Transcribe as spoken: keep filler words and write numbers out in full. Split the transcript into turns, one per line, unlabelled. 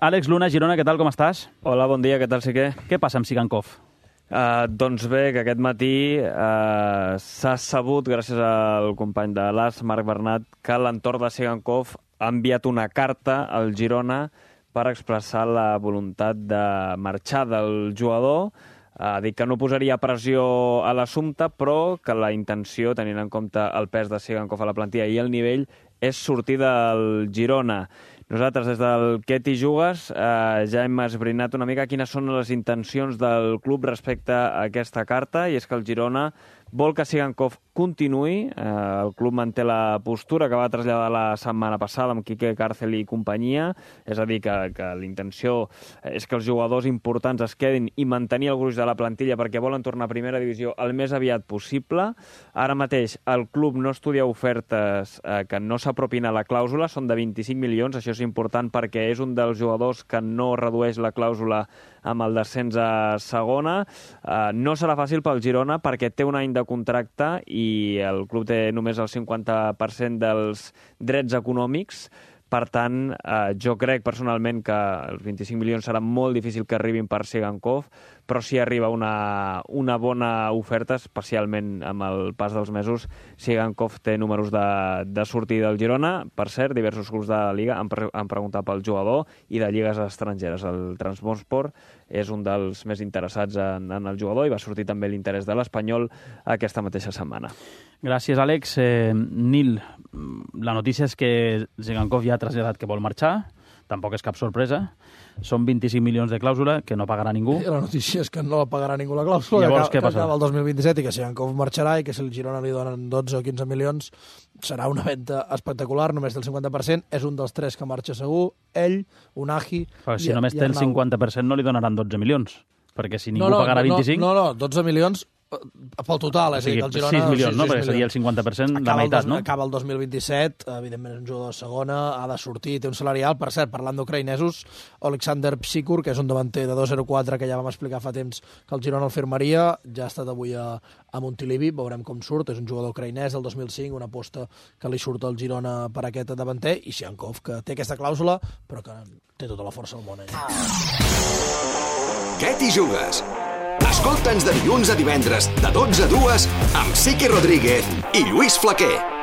Àlex Luna, Girona, què tal, com estàs?
Hola, bon dia, què tal, Siquer?
Què passa amb Sigankov?
Uh, doncs bé, que aquest matí uh, s'ha sabut, gràcies al company de l'A S, Marc Bernat, que l'entorn de Sigankov ha enviat una carta al Girona per expressar la voluntat de marxar del jugador. Ha dit que no posaria pressió a l'assumpte, però que la intenció, tenint en compte el pes de Sigankov a la plantilla i el nivell, és sortir del Girona. Nosaltres, des del Què t'hi jugues, eh, ja hem esbrinat una mica quines són les intencions del club respecte a aquesta carta, i és que el Girona vol que Sigankov continuï. Eh, el club manté la postura que va traslladar la setmana passada amb Quique Càrcel i companyia, és a dir, que, que la intenció és que els jugadors importants es quedin i mantenir el gruix de la plantilla perquè volen tornar a primera divisió el més aviat possible. Ara mateix el club no estudia ofertes eh, que no s'apropin a la clàusula, són de vint-i-cinc milions, això és important perquè és un dels jugadors que no redueix la clàusula amb el descens a segona. Eh, no serà fàcil pel Girona perquè té un any de contracte i el club té només el cinquanta per cent dels drets econòmics. Per tant, eh, jo crec personalment que els vint-i-cinc milions serà molt difícil que arribin per Sigankov, però si arriba una, una bona oferta, especialment amb el pas dels mesos, Sigankov té números de, de sortir del Girona. Per cert, diversos clubs de la Liga han, pre han preguntat pel jugador i de lligues estrangeres. El Trabzonspor és un dels més interessats en, en el jugador i va sortir també l'interès de l'Espanyol aquesta mateixa setmana.
Gràcies, Àlex. Eh, Nil, la notícia és que Sigankov ja ha traslladat que vol marxar, tampoc és cap sorpresa. Són vint-i-cinc milions de clàusula que no pagarà ningú.
I la notícia és que no la pagarà ningú la clàusula.
Llavors,
que,
què passa?
Que acaba el dos mil vint-i-set i que Sigankov marxarà i que si el Girona li donen dotze o quinze milions serà una venda espectacular, només del cinquanta per cent. És un dels tres que marxa segur. Ell, Unagi...
Però si
i,
només
i
té el cinquanta per cent no li donaran dotze milions, perquè si ningú
no, no,
pagarà vint-i-cinc...
No, no, no, dotze milions pel total, és
o sigui,
a dir, que el Girona...
sis milions,
sis,
no?
sis
Perquè seria el cinquanta per cent, la meitat, no?
Acaba el dos mil vint-i-set, evidentment és un jugador de segona, ha de sortir, té un salari alt. Per cert, parlant d'ucraïnesos, Oleksandr Psikur, que és un davanter de dos zero quatre que ja vam explicar fa temps que el Girona el firmaria, ja ha estat avui a, a Montilivi, veurem com surt, és un jugador ucraïnès del dos mil cinc, una aposta que li surt al Girona per aquest davanter, i Sigankov, que té aquesta clàusula, però que té tota la força del món. Eh?
Què t'hi jugues? Escolta'ns de dilluns a divendres, de dotze a dues, amb Siqui Rodríguez i Lluís Flaquer.